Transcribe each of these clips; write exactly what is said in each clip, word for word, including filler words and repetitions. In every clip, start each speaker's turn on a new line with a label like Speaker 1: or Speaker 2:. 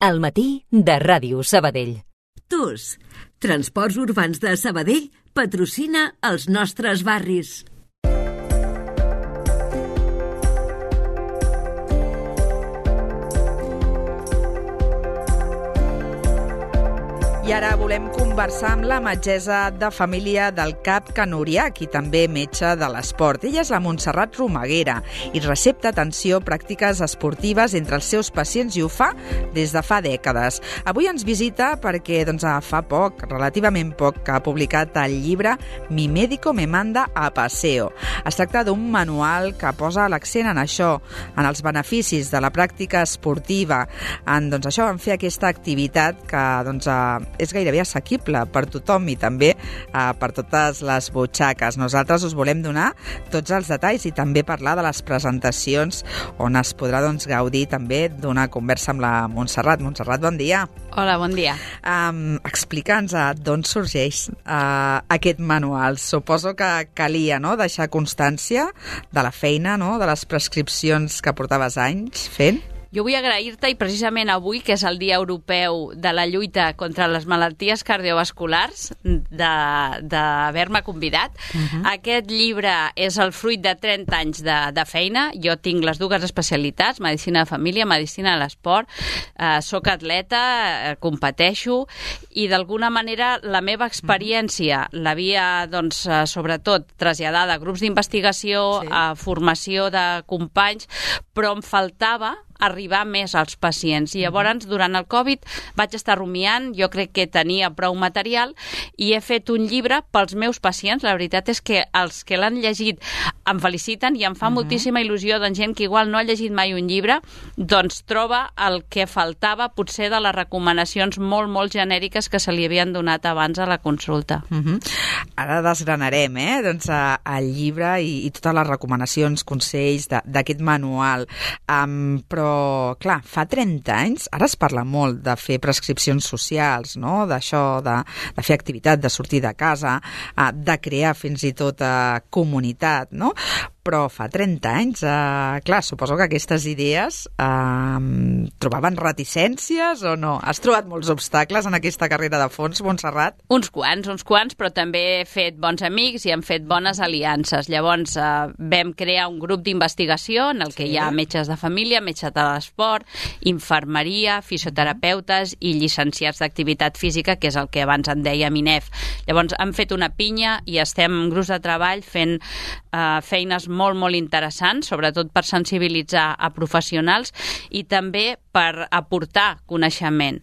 Speaker 1: Al matí de Ràdio Sabadell.
Speaker 2: T U S, Transports Urbans de Sabadell, patrocina els nostres barris.
Speaker 3: I ara volem conversar amb la metgessa de família del CAP Can Uriach i també metge de l'esport. Ella és la Montserrat Romaguera i recepta atenció pràctiques esportives entre els seus pacients i ho fa des de fa dècades. Avui ens visita perquè doncs, fa poc, relativament poc, que ha publicat el llibre Mi médico me manda a paseo. Es tracta d'un manual que posa l'accent en això, en els beneficis de la pràctica esportiva, en, doncs, això, en fer aquesta activitat que doncs, és gairebé assequible per tothom i també eh, per totes les butxaques. Nosaltres us volem donar tots els detalls i també parlar de les presentacions on es podrà doncs, gaudir també d'una conversa amb la Montserrat. Montserrat, bon dia.
Speaker 4: Hola, bon dia.
Speaker 3: Um, Explica'ns d'on sorgeix uh, aquest manual. Suposo que calia no? deixar constància de la feina, no? de les prescripcions que portaves anys fent.
Speaker 4: Jo vull agrair-te, i precisament avui, que és el Dia Europeu de la lluita contra les malalties cardiovasculars, d'haver-me convidat. Uh-huh. Aquest llibre és el fruit de trenta anys de, de feina. Jo tinc les dues especialitats, medicina de família, medicina de l'esport. Eh, soc atleta, eh, competeixo, i d'alguna manera la meva experiència uh-huh. l'havia, doncs, eh, sobretot, traslladada a grups d'investigació, sí. a formació de companys, però em faltava arribar més als pacients. I llavors, durant el Covid, vaig estar rumiant, jo crec que tenia prou material, i he fet un llibre pels meus pacients. La veritat és que els que l'han llegit em feliciten i em fa uh-huh. moltíssima il·lusió, doncs, gent que igual no ha llegit mai un llibre, doncs troba el que faltava potser de les recomanacions molt, molt genèriques que se li havien donat abans a la consulta.
Speaker 3: Uh-huh. Ara desgranarem eh? doncs, el llibre i, i totes les recomanacions, consells d'aquest manual. Um, però clar, fa trenta anys, ara es parla molt de fer prescripcions socials, no? D'això, de, de fer activitat, de sortir de casa, de crear fins i tot comunitat, no? Però fa trenta anys, eh, clar, suposo que aquestes idees eh, trobaven reticències o no? Has trobat molts obstacles en aquesta carrera de fons, Montserrat?
Speaker 4: Uns quants, uns quants, però també he fet bons amics i hem fet bones aliances. Llavors eh, vam crear un grup d'investigació en el que sí. hi ha metges de família, metges de l'esport, infermeria, fisioterapeutes i llicenciats d'activitat física, que és el que abans en deia MINEF. Llavors hem fet una pinya i estem en grups de treball fent eh, feines molt, molt interessants, sobretot per sensibilitzar a professionals i també per aportar coneixement.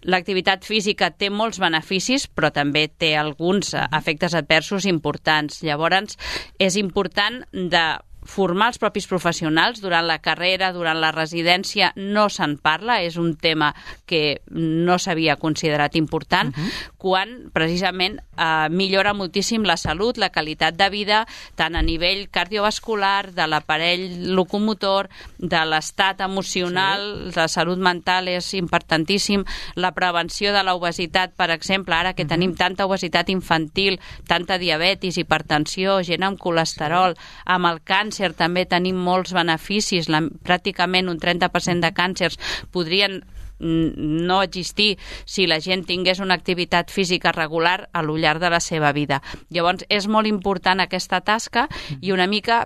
Speaker 4: L'activitat física té molts beneficis, però també té alguns efectes adversos importants. Llavors, és important de formar els propis professionals durant la carrera, durant la residència, no se'n parla, és un tema que no s'havia considerat important, uh-huh. quan precisament eh, millora moltíssim la salut, la qualitat de vida, tant a nivell cardiovascular, de l'aparell locomotor, de l'estat emocional, sí. la salut mental és importantíssim, la prevenció de l'obesitat, per exemple, ara que uh-huh. tenim tanta obesitat infantil, tanta diabetis, hipertensió, gent amb colesterol, sí. amb el càncer, també tenim molts beneficis, la, pràcticament un trenta per cent de càncers podrien no existir si la gent tingués una activitat física regular a lo llarg de la seva vida. Llavors, és molt important aquesta tasca i una mica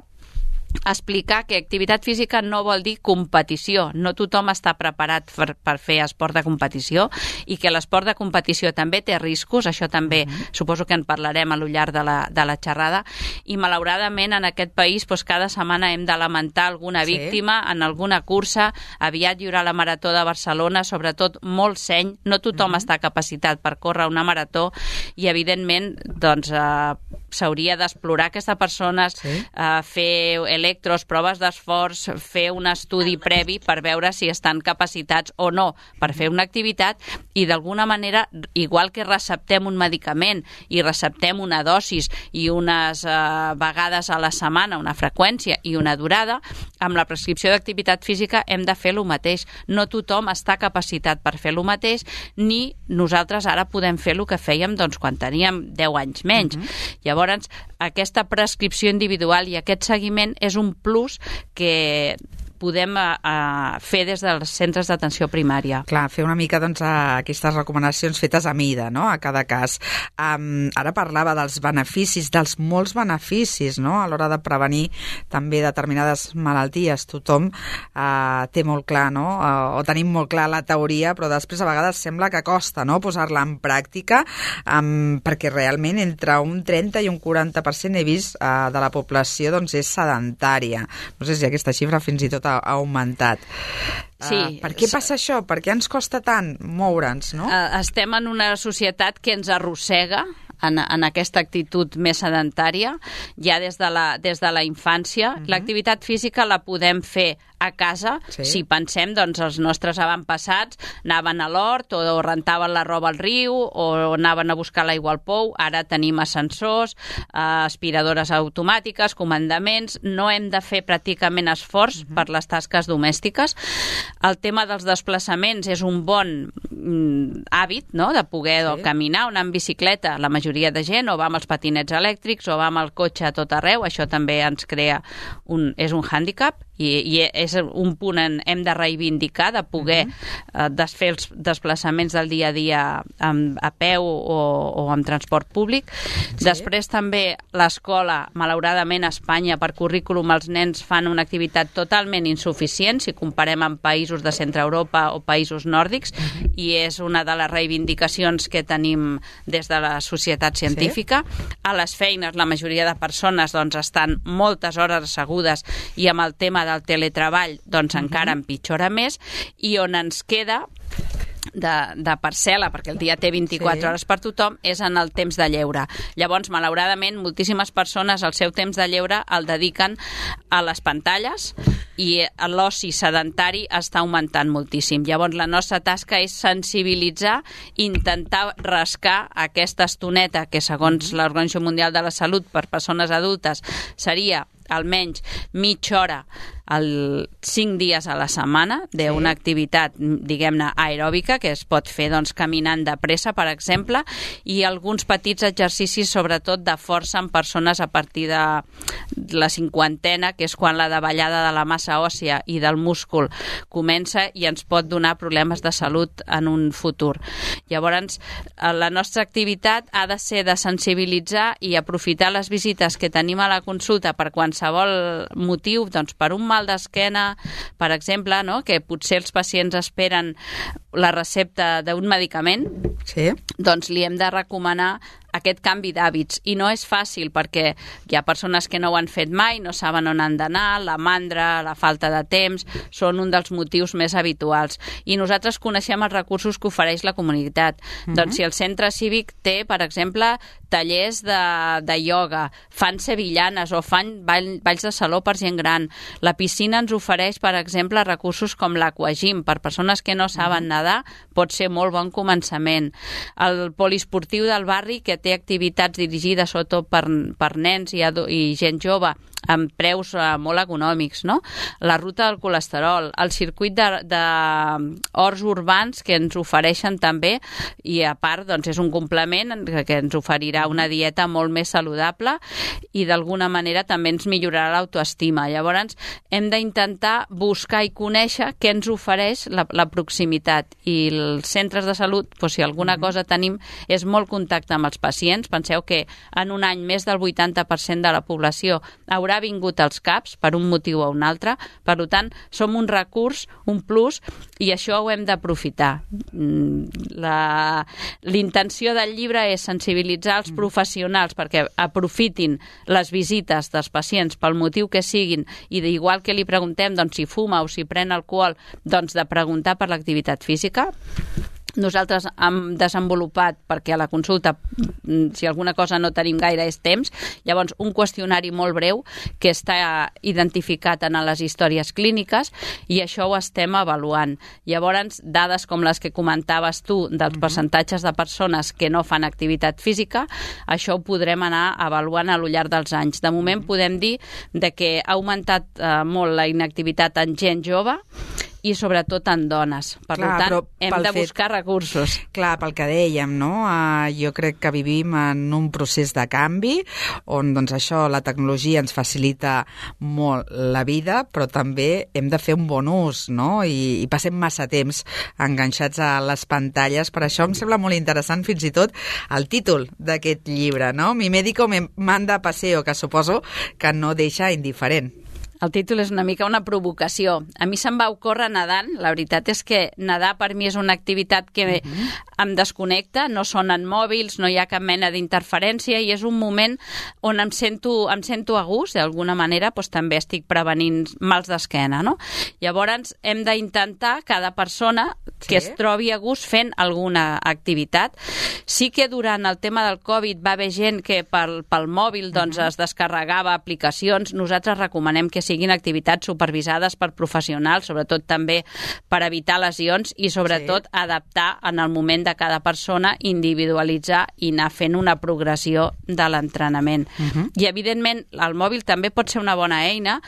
Speaker 4: explicar que activitat física no vol dir competició. No tothom està preparat per, per fer esport de competició i que l'esport de competició també té riscos, això també mm-hmm. suposo que en parlarem a lo llarg de la, de la xerrada, i malauradament en aquest país doncs, cada setmana hem de lamentar alguna sí. víctima en alguna cursa. Aviat hi haurà la Marató de Barcelona, sobretot molt seny, no tothom mm-hmm. està capacitat per córrer una marató i evidentment doncs, eh, s'hauria d'explorar aquestes persones, sí. eh, fer electros, proves d'esforç, fer un estudi previ per veure si estan capacitats o no per fer una activitat i d'alguna manera, igual que receptem un medicament i receptem una dosis i unes eh, vegades a la setmana, una freqüència i una durada, amb la prescripció d'activitat física hem de fer el mateix. No tothom està capacitat per fer el mateix, ni nosaltres ara podem fer el que fèiem doncs, quan teníem deu anys menys. Uh-huh. Llavors, aquesta prescripció individual i aquest seguiment és un plus que podem uh, fer des dels centres d'atenció primària.
Speaker 3: Clar, fer una mica doncs, aquestes recomanacions fetes a mida, no?, a cada cas. Um, ara parlava dels beneficis, dels molts beneficis, no?, a l'hora de prevenir també determinades malalties. Tothom uh, té molt clar, no?, uh, o tenim molt clar la teoria, però després a vegades sembla que costa, no?, posar-la en pràctica, um, perquè realment entre un trenta i un quaranta per cent he vist uh, de la població doncs, és sedentària. No sé si aquesta xifra fins i tot ha, ha augmentat.
Speaker 4: Sí.
Speaker 3: Uh, per què passa això? Per què ens costa tant moure'ns, no?
Speaker 4: Uh, estem en una societat que ens arrossega en, en aquesta actitud més sedentària, ja des de la, des de la infància. Uh-huh. L'activitat física la podem fer a casa, sí. Si pensem, doncs els nostres avantpassats anaven a l'hort o rentaven la roba al riu o anaven a buscar l'aigua al pou. Ara tenim ascensors, eh, aspiradores automàtiques, comandaments. No hem de fer pràcticament esforç uh-huh. per les tasques domèstiques. El tema dels desplaçaments és un bon mm, hàbit, no?, de poder sí. caminar o anar en bicicleta. La majoria de gent o va amb els patinets elèctrics o va amb el cotxe a tot arreu. Això també ens crea un, és un hàndicap. I, i és un punt en hem de reivindicar, de poder uh-huh. eh, desfer els desplaçaments del dia a dia amb, a peu o, o amb transport públic. Sí. Després també l'escola, malauradament a Espanya, per currículum els nens fan una activitat totalment insuficient si comparem amb països de centre Europa o països nòrdics, uh-huh. i és una de les reivindicacions que tenim des de la societat científica. Sí. A les feines la majoria de persones doncs, estan moltes hores assegudes i amb el tema del teletreball doncs uh-huh. encara empitjora més, i on ens queda de, de parcel·la, perquè el dia té vint-i-quatre sí. hores per tothom, és en el temps de lleure. Llavors, malauradament, moltíssimes persones el seu temps de lleure el dediquen a les pantalles i l'oci sedentari està augmentant moltíssim. Llavors, la nostra tasca és sensibilitzar, intentar rascar aquesta estoneta que, segons mm-hmm. l'Organització Mundial de la Salut, per persones adultes seria almenys mitja hora el cinc dies a la setmana d'una sí. activitat, diguem-ne, aeròbica, que es pot fer doncs, caminant de pressa, per exemple, i alguns petits exercicis, sobretot de força en persones a partir de la cinquantena, que és quan la davallada de la massa òssia i del múscul comença i ens pot donar problemes de salut en un futur. Llavors, la nostra activitat ha de ser de sensibilitzar i aprofitar les visites que tenim a la consulta per qualsevol motiu, doncs per un mal d'esquena, per exemple, no?, que potser els pacients esperen la recepta d'un medicament,
Speaker 3: sí.
Speaker 4: doncs li hem de recomanar aquest canvi d'hàbits. I no és fàcil perquè hi ha persones que no ho han fet mai, no saben on han d'anar, la mandra, la falta de temps, són un dels motius més habituals. I nosaltres coneixem els recursos que ofereix la comunitat. Uh-huh. Doncs si el centre cívic té, per exemple, tallers de, de ioga, fan sevillanes o fan ball, balls de saló per gent gran. La piscina ens ofereix, per exemple, recursos com l'aquagym. Per persones que no saben nedar, pot ser molt bon començament. El poliesportiu del barri, que té activitats dirigides sobretot per, per nens i, i gent jove, amb preus uh, molt econòmics, no? La ruta del colesterol, el circuit de, de horts urbans que ens ofereixen també, i a part doncs, és un complement que, que ens oferirà una dieta molt més saludable i d'alguna manera també ens millorarà l'autoestima. Llavors hem d'intentar buscar i conèixer què ens ofereix la, la proximitat, i els centres de salut, doncs, si alguna cosa tenim, és molt contacte amb els pacients. Penseu que en un any més del vuitanta per cent de la població haurà vingut als CAPs per un motiu o un altre. Per tant, som un recurs, un plus, i això ho hem d'aprofitar. La, l'intenció del llibre és sensibilitzar els professionals perquè aprofitin les visites dels pacients pel motiu que siguin, i d'igual que li preguntem doncs, si fuma o si pren alcohol, doncs de preguntar per l'activitat física. Nosaltres hem desenvolupat, perquè a la consulta, si alguna cosa no tenim gaire és temps, llavors un qüestionari molt breu que està identificat en les històries clíniques, i això ho estem avaluant. Llavors, dades com les que comentaves tu dels percentatges de persones que no fan activitat física, això ho podrem anar avaluant a lo llarg dels anys. De moment podem dir de que ha augmentat eh, molt la inactivitat en gent jove, i sobretot en dones. Per
Speaker 3: Clar,
Speaker 4: tant, hem de
Speaker 3: fet,
Speaker 4: buscar recursos.
Speaker 3: Clar, pel que dèiem, no? Uh, jo crec que vivim en un procés de canvi on doncs, això, la tecnologia ens facilita molt la vida, però també hem de fer un bon ús, no? I, i passem massa temps enganxats a les pantalles. Per això em sembla molt interessant fins i tot el títol d'aquest llibre, no? Mi médico me manda a paseo, que suposo que no deixa indiferent.
Speaker 4: El títol és una mica una provocació. A mi se'm va ocórrer nedant. La veritat és que nedar per mi és una activitat que uh-huh. em desconnecta, no sonen mòbils, no hi ha cap mena d'interferència i és un moment on em sento, em sento a gust, d'alguna manera doncs, també estic prevenint mals d'esquena, no? Llavors hem d'intentar cada persona que sí. es trobi a gust fent alguna activitat. Sí que durant el tema del Covid va haver gent que pel, pel mòbil doncs, uh-huh. es descarregava aplicacions. Nosaltres recomanem que siguin activitats supervisades per professionals, sobretot també per evitar lesions i sobretot sí. adaptar en el moment de cada persona, individualitzar i anar fent una progressió de l'entrenament. Uh-huh. I evidentment el mòbil també pot ser una bona eina,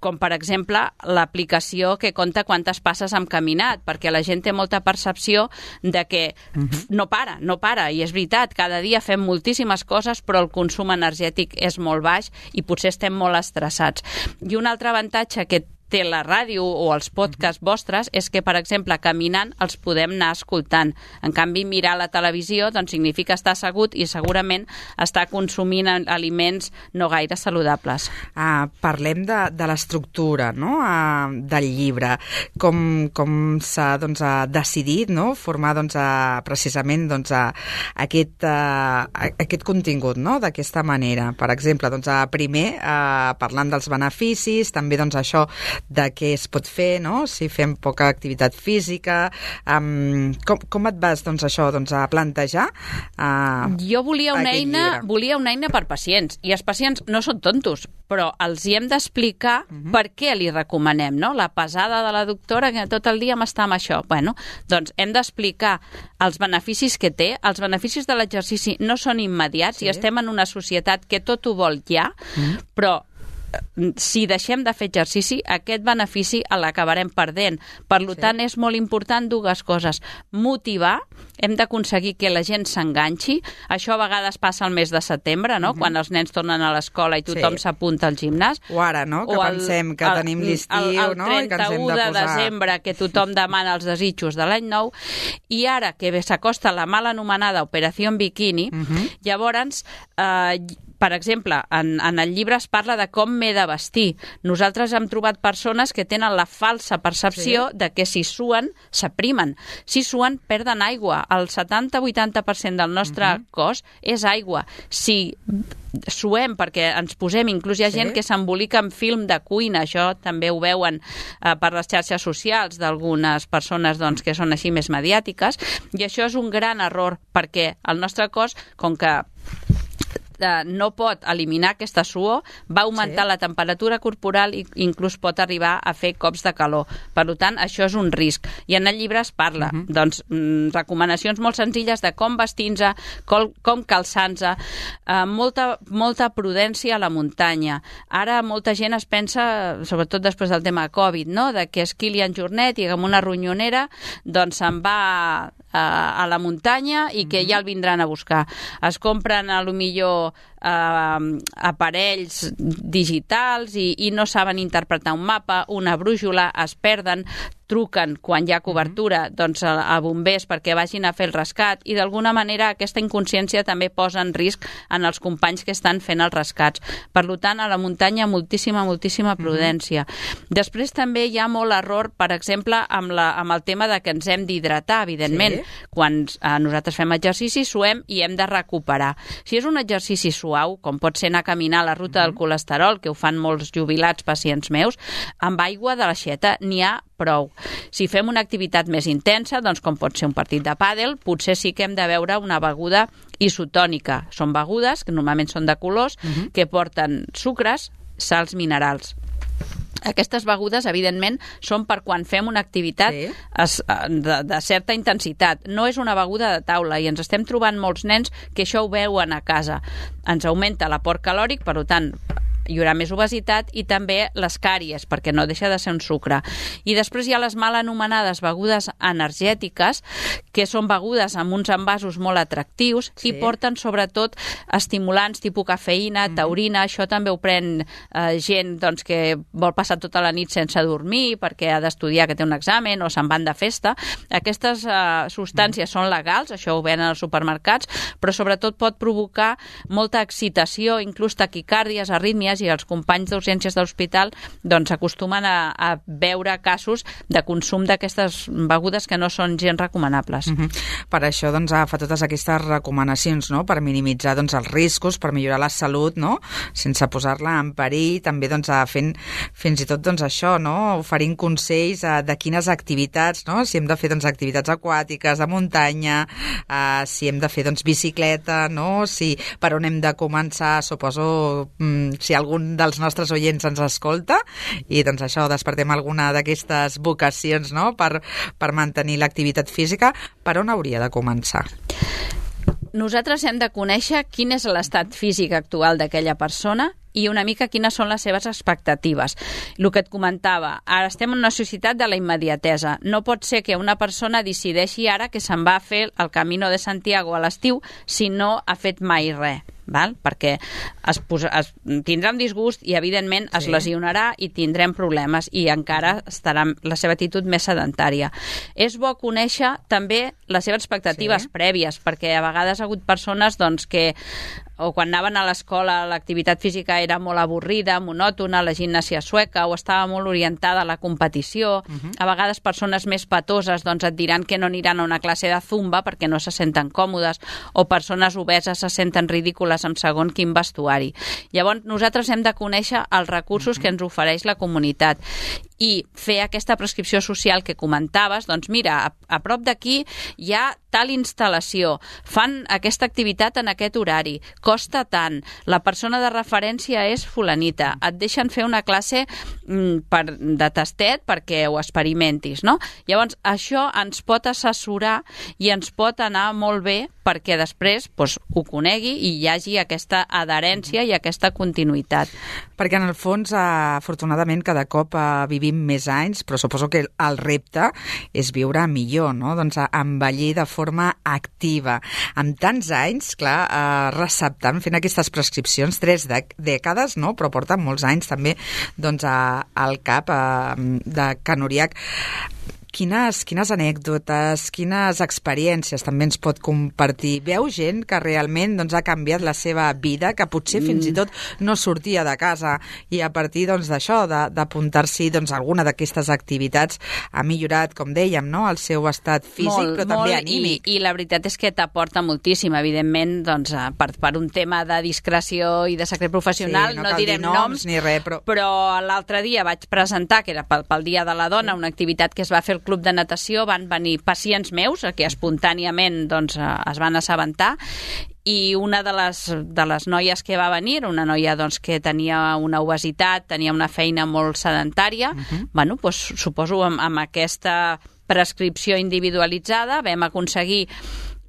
Speaker 4: com per exemple l'aplicació que compta quantes passes hem caminat, perquè la gent té molta percepció de que uh-huh. no para, no para, i és veritat, cada dia fem moltíssimes coses, però el consum energètic és molt baix i potser estem molt estressats. I un altre avantatge que té la ràdio o els podcasts vostres és que, per exemple, caminant els podem anar escoltant. En canvi, mirar la televisió doncs, significa estar assegut i segurament estar consumint aliments no gaire saludables.
Speaker 3: Ah, parlem de, de l'estructura, no? ah, del llibre. Com, com s'ha doncs, decidit no? formar doncs, a, precisament doncs, a, aquest, a, aquest contingut no? d'aquesta manera. Per exemple, doncs, a, primer, a, parlant dels beneficis, també doncs, això de què es pot fer, no? Si fem poca activitat física. Um, com, com et vas, doncs, això, doncs, a plantejar? Uh,
Speaker 4: jo volia una eina, volia una eina per pacients, i els pacients no són tontos, però els hi hem d'explicar uh-huh. per què li recomanem, no? La pesada de la doctora que tot el dia m'està amb això. Bueno, doncs hem d'explicar els beneficis que té. Els beneficis de l'exercici no són immediats sí. i estem en una societat que tot ho vol ja, uh-huh. però si deixem de fer exercici, aquest benefici l'acabarem perdent. Per sí. tant, és molt important dues coses. Motivar, hem d'aconseguir que la gent s'enganxi. Això a vegades passa al mes de setembre, no? Uh-huh. Quan els nens tornen a l'escola i tothom sí. s'apunta al gimnàs.
Speaker 3: O ara, no? Que o el, pensem que el, tenim l'estiu,
Speaker 4: el, el
Speaker 3: no? I que ens hem de posar...
Speaker 4: el trenta-u de desembre, que tothom demana els desitjos de l'any nou, i ara que s'acosta la mal anomenada Operació Bikini, uh-huh. llavors... Eh, per exemple, en, en el llibre es parla de com m'he de vestir. Nosaltres hem trobat persones que tenen la falsa percepció sí. de que si suen, s'aprimen. Si suen, perden aigua. El setanta a vuitanta per cent del nostre uh-huh. cos és aigua. Si suem perquè ens posem, inclús hi ha sí. gent que s'embolica amb film de cuina, això també ho veuen eh, per les xarxes socials d'algunes persones doncs, que són així més mediàtiques, i això és un gran error, perquè el nostre cos, com que no pot eliminar aquesta suor, va augmentar sí. la temperatura corporal i inclús pot arribar a fer cops de calor. Per tant, això és un risc. I en el llibre es parla, uh-huh. doncs, mm, recomanacions molt senzilles de com vestir-nos, com, com calçar-nos, eh, molta, molta prudència a la muntanya. Ara molta gent es pensa, sobretot després del tema Covid, no?, de que és Kilian Jornet i amb una ronyonera doncs se'n va a, a la muntanya i que ja el vindran a buscar. Es compren a lo millor eh, aparells digitals i, i no saben interpretar un mapa, una brújula, es perden, truquen quan hi ha cobertura doncs, a, a bombers perquè vagin a fer el rescat, i d'alguna manera aquesta inconsciència també posa en risc en els companys que estan fent els rescats. Per tant, a la muntanya moltíssima, moltíssima prudència. Mm-hmm. Després també hi ha molt error, per exemple, amb, la, amb el tema de que ens hem d'hidratar, evidentment. Sí. Quan eh, nosaltres fem exercici, suem i hem de recuperar. Si és un exercici suau, com pot ser anar a caminar a la ruta mm-hmm. del colesterol, que ho fan molts jubilats pacients meus, amb aigua de l'aixeta n'hi ha prou. Si fem una activitat més intensa, doncs com pot ser un partit de pàdel, potser sí que hem de beure una beguda isotònica. Són begudes, que normalment són de colors, uh-huh. que porten sucres, sals minerals. Aquestes begudes, evidentment, són per quan fem una activitat sí. es, de, de certa intensitat. No és una beguda de taula, i ens estem trobant molts nens que això ho veuen a casa. Ens augmenta l'aport calòric, per tant, hi haurà més obesitat i també les càries, perquè no deixa de ser un sucre. I després hi ha les mal anomenades begudes energètiques, que són begudes amb uns envasos molt atractius sí. i porten sobretot estimulants tipus cafeïna, mm-hmm. taurina, això també ho pren eh, gent doncs, que vol passar tota la nit sense dormir perquè ha d'estudiar, que té un examen o se'n van de festa. Aquestes eh, substàncies mm. són legals, això ho venen als supermercats, però sobretot pot provocar molta excitació, inclús taquicàrdies, arrítmies, i els companys d'urgències de l'hospital doncs, acostumen a, a veure casos de consum d'aquestes begudes que no són gens recomanables.
Speaker 3: Mm-hmm. Per això doncs, fa totes aquestes recomanacions, no?, per minimitzar doncs, els riscos, per millorar la salut, no?, sense posar-la en perill, també doncs, fent fins i tot doncs, això, no?, oferint consells eh, de quines activitats, no?, si hem de fer doncs, activitats aquàtiques, de muntanya, eh, si hem de fer doncs, bicicleta, no?, si per on hem de començar, suposo, mm, si algun dels nostres oients ens escolta, i doncs això, despertem alguna d'aquestes vocacions, no?, per, per mantenir l'activitat física, per on hauria de començar?
Speaker 4: Nosaltres hem de conèixer quin és l'estat físic actual d'aquella persona i una mica quines són les seves expectatives. El que et comentava, ara estem en una societat de la immediatesa. No pot ser que una persona decideixi ara que se'n va a fer el Camino de Santiago a l'estiu si no ha fet mai res. Val? Perquè es posa, es, tindrà un disgust i evidentment es sí. lesionarà i tindrem problemes i encara estarà la seva actitud més sedentària. És bo conèixer també les seves expectatives sí. prèvies, perquè a vegades ha hagut persones doncs, que o quan anaven a l'escola l'activitat física era molt avorrida, monòtona, la gimnàsia sueca, o estava molt orientada a la competició. Uh-huh. A vegades persones més patoses doncs, et diran que no aniran a una classe de zumba perquè no se senten còmodes, o persones obeses se senten ridícules amb segon quin vestuari. Llavors, nosaltres hem de conèixer els recursos uh-huh. que ens ofereix la comunitat i fer aquesta prescripció social que comentaves, doncs mira, a, a prop d'aquí hi ha tal instal·lació, fan aquesta activitat en aquest horari, costa tant, la persona de referència és fulanita, et deixen fer una classe mm, per, de tastet perquè ho experimentis, no? Llavors, això ens pot assessorar i ens pot anar molt bé perquè després doncs, ho conegui i hi hagi aquesta adherència i aquesta continuïtat.
Speaker 3: Perquè en el fons, afortunadament, cada cop vivim més anys, però suposo que el repte és viure millor, no? Doncs envellir de forma activa. Amb tants anys, clar, receptant, fent aquestes prescripcions, tres dècades, no? Però porten molts anys també doncs, al cap de Can Uriach. Quines, quines anècdotes, quines experiències també ens pot compartir? Veu gent que realment doncs, ha canviat la seva vida, que potser fins i tot no sortia de casa i a partir doncs, d'això, d'apuntar-s'hi doncs, a alguna d'aquestes activitats ha millorat, com dèiem, no? El seu estat físic, molt, però també
Speaker 4: molt,
Speaker 3: anímic.
Speaker 4: I, I la veritat és que t'aporta moltíssim, evidentment, doncs, per, per un tema de discreció i de secret professional, sí, no, no direm noms, noms
Speaker 3: ni res, però,
Speaker 4: però l'altre dia vaig presentar, que era pel, pel Dia de la Dona, una activitat que es va fer al Club de Natació, van venir pacients meus que espontàniament doncs, es van assabentar i una de les, de les noies que va venir, una noia doncs, que tenia una obesitat, tenia una feina molt sedentària, uh-huh. bueno, doncs, suposo amb, amb aquesta prescripció individualitzada vam aconseguir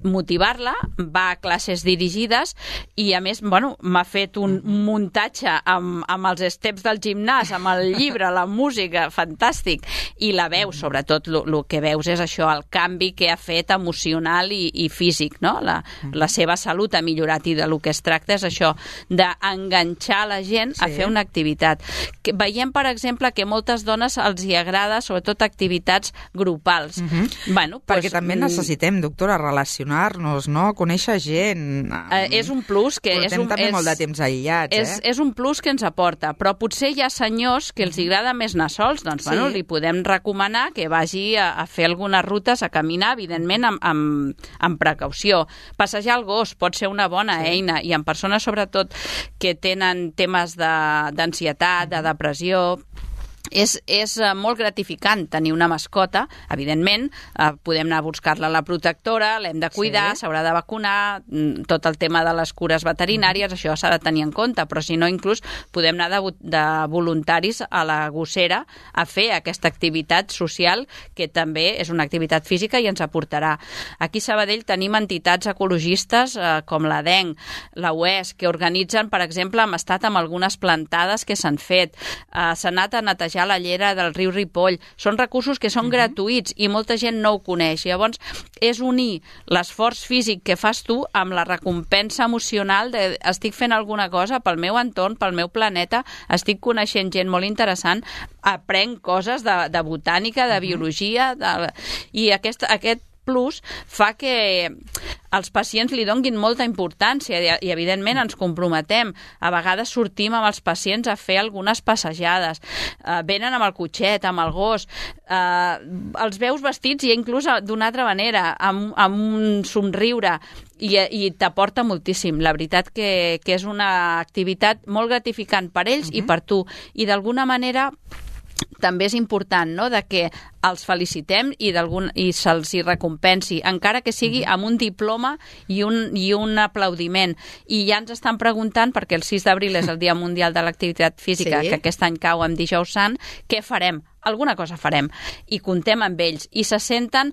Speaker 4: motivar-la, va a classes dirigides i a més, bueno, m'ha fet un muntatge amb, amb els steps del gimnàs, amb el llibre, la música, fantàstic, i la veus, sobretot el que veus és això, el canvi que ha fet emocional i, i físic, no? La, la seva salut ha millorat i de lo que es tracta és això, d'enganxar la gent sí. a fer una activitat. Que veiem, per exemple, que moltes dones els hi agrada, sobretot activitats grupals. Uh-huh. Bueno,
Speaker 3: perquè
Speaker 4: pues,
Speaker 3: també necessitem, doctora, relacionar nos, no? Conèixer gent.
Speaker 4: Eh, és un plus que...
Speaker 3: Portem
Speaker 4: és un,
Speaker 3: també
Speaker 4: és,
Speaker 3: molt de temps aïllats,
Speaker 4: és,
Speaker 3: eh?
Speaker 4: És un plus que ens aporta, però potser hi ha senyors que els agrada més anar sols, doncs, sí. bueno, li podem recomanar que vagi a, a fer algunes rutes, a caminar, evidentment, amb, amb, amb precaució. Passejar el gos pot ser una bona sí. eina, i en persones, sobretot, que tenen temes d'ansietat, de, de depressió, És, és molt gratificant tenir una mascota. Evidentment, eh, podem anar a buscar-la a la protectora, l'hem de cuidar, s'haurà sí. de vacunar, tot el tema de les cures veterinàries, mm. això s'ha de tenir en compte, però si no, inclús podem anar de, de voluntaris a la gossera a fer aquesta activitat social, que també és una activitat física i ens aportarà. Aquí a Sabadell tenim entitats ecologistes eh, com la D E N, la U E S, que organitzen, per exemple, hem estat amb algunes plantades que s'han fet, eh, s'ha anat a netejar la llera del riu Ripoll. Són recursos que són uh-huh. gratuïts i molta gent no ho coneix. Llavors, és unir l'esforç físic que fas tu amb la recompensa emocional de estic fent alguna cosa pel meu entorn, pel meu planeta, estic coneixent gent molt interessant, aprenc coses de, de botànica, de uh-huh. biologia, de... i aquest, aquest plus fa que els pacients li donguin molta importància i, evidentment, ens comprometem. A vegades sortim amb els pacients a fer algunes passejades. Eh, venen amb el cotxet, amb el gos. Eh, els veus vestits i inclús d'una altra manera, amb, amb un somriure, i, i t'aporta moltíssim. La veritat que, que és una activitat molt gratificant per ells uh-huh. i per tu. I d'alguna manera també és important, no?, de que els felicitem i, i se'ls hi recompensi, encara que sigui amb un diploma i un, i un aplaudiment. I ja ens estan preguntant, perquè el sis d'abril és el Dia Mundial de l'Activitat Física, sí. que aquest any cau amb Dijous Sant, què farem? Alguna cosa farem. I comptem amb ells. I se senten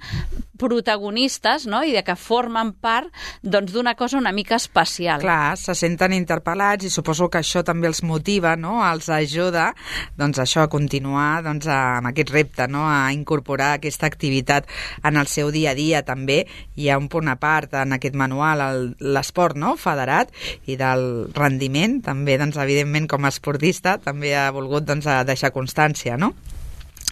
Speaker 4: protagonistes, no?, i de que formen part doncs, d'una cosa una mica especial.
Speaker 3: Clar, se senten interpel·lats i suposo que això també els motiva, no?, els ajuda doncs, això, a continuar doncs, amb aquest repte, no?, a incorporar aquesta activitat en el seu dia a dia també. Hi ha un punt a part en aquest manual, el, l'esport, no?, federat, i del rendiment, també, doncs, evidentment, com a esportista, també ha volgut doncs, deixar constància, no?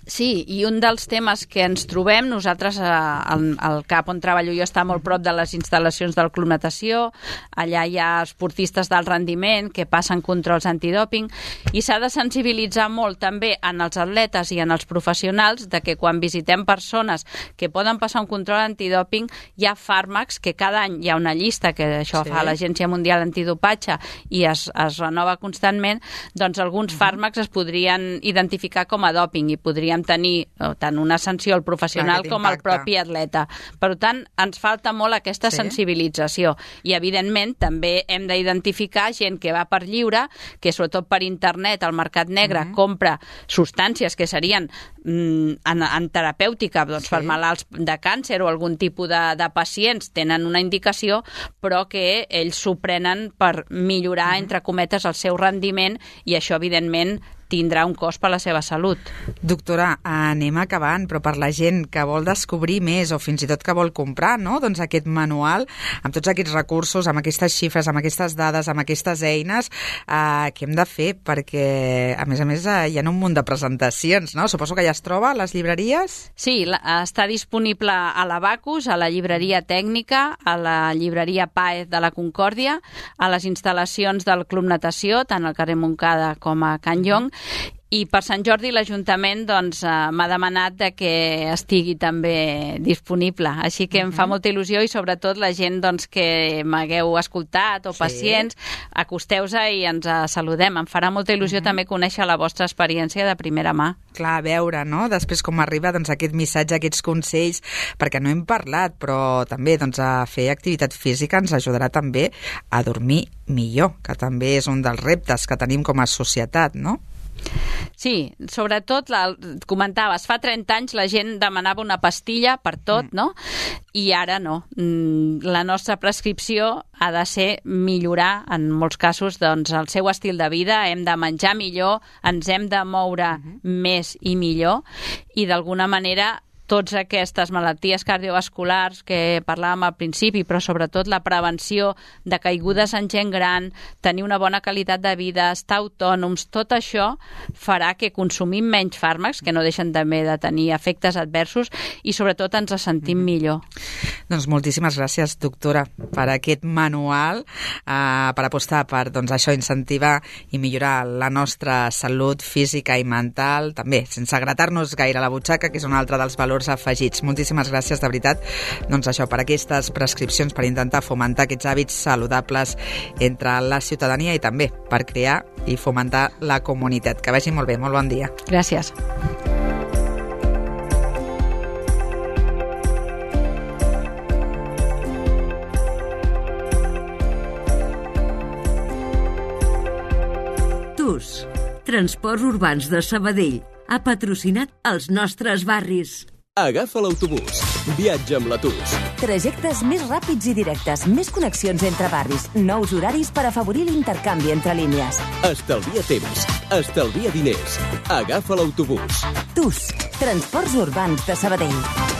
Speaker 4: Sí, i un dels temes que ens trobem, nosaltres al, al CAP on treballo jo està molt prop de les instal·lacions del Club Natació, allà hi ha esportistes d'alt rendiment que passen controls antidòping i s'ha de sensibilitzar molt també en els atletes i en els professionals de que quan visitem persones que poden passar un control antidòping hi ha fàrmacs que cada any hi ha una llista que això sí. fa l'Agència Mundial Antidopatge i es, es renova constantment, doncs alguns uh-huh. fàrmacs es podrien identificar com a dòping i podrien tenir tant una sanció al professional com al propi atleta. Per tant, ens falta molt aquesta sí. sensibilització i, evidentment, també hem d'identificar gent que va per lliure, que sobretot per internet, al mercat negre, mm-hmm. compra substàncies que serien mm, en, en terapèutica, doncs, sí. per malalts de càncer o algun tipus de, de pacients tenen una indicació, però que ells s'ho prenen per millorar, mm-hmm. entre cometes, el seu rendiment i això, evidentment, tindrà un cost per la seva salut.
Speaker 3: Doctora, anem acabant, però per la gent que vol descobrir més o fins i tot que vol comprar, no?, doncs aquest manual, amb tots aquests recursos, amb aquestes xifres, amb aquestes dades, amb aquestes eines, eh, què hem de fer? Perquè, a més a més, eh, hi ha un munt de presentacions, no? Suposo que ja es troba a les llibreries?
Speaker 4: Sí, la, està disponible a l'Abacus, a la llibreria tècnica, a la llibreria Páez de la Concòrdia, a les instal·lacions del Club Natació, tant al carrer Montcada com a Can Llong, i per Sant Jordi l'Ajuntament doncs, eh, m'ha demanat de que estigui també disponible. Així que uh-huh. em fa molta il·lusió i sobretot la gent doncs, que m'hagueu escoltat o sí. pacients, acosteu-se i ens uh, saludem. Em farà molta il·lusió uh-huh. també conèixer la vostra experiència de primera mà.
Speaker 3: Clar, a veure, no?, després com arriba doncs, aquest missatge, aquests consells, perquè no hem parlat, però també doncs, a fer activitat física ens ajudarà també a dormir millor, que també és un dels reptes que tenim com a societat, no?
Speaker 4: Sí, sobretot, la, comentaves, fa trenta anys la gent demanava una pastilla per tot, no? I ara no. La nostra prescripció ha de ser millorar, en molts casos, doncs, el seu estil de vida. Hem de menjar millor, ens hem de moure uh-huh. més i millor, i d'alguna manera totes aquestes malalties cardiovasculars que parlàvem al principi, però sobretot la prevenció de caigudes en gent gran, tenir una bona qualitat de vida, estar autònoms, tot això farà que consumim menys fàrmacs, que no deixen també de tenir efectes adversos, i sobretot ens sentim millor.
Speaker 3: Doncs moltíssimes gràcies, doctora, per aquest manual, eh, per apostar per doncs, això, incentivar i millorar la nostra salut física i mental, també sense gratar-nos gaire la butxaca, que és un altre dels valors valors afegits. Moltíssimes gràcies, de veritat, doncs això, per aquestes prescripcions, per intentar fomentar aquests hàbits saludables entre la ciutadania i també per crear i fomentar la comunitat. Que vagi molt bé, molt bon dia.
Speaker 4: Gràcies.
Speaker 2: Transports Urbans de Sabadell ha patrocinat els nostres barris.
Speaker 5: Agafa l'autobús. Viatja amb la T U S.
Speaker 1: Trajectes més ràpids i directes, més connexions entre barris, nous horaris per afavorir l'intercanvi entre línies.
Speaker 5: Estalvia temps. Estalvia diners. Agafa l'autobús.
Speaker 1: T U S, Transports Urbans de Sabadell.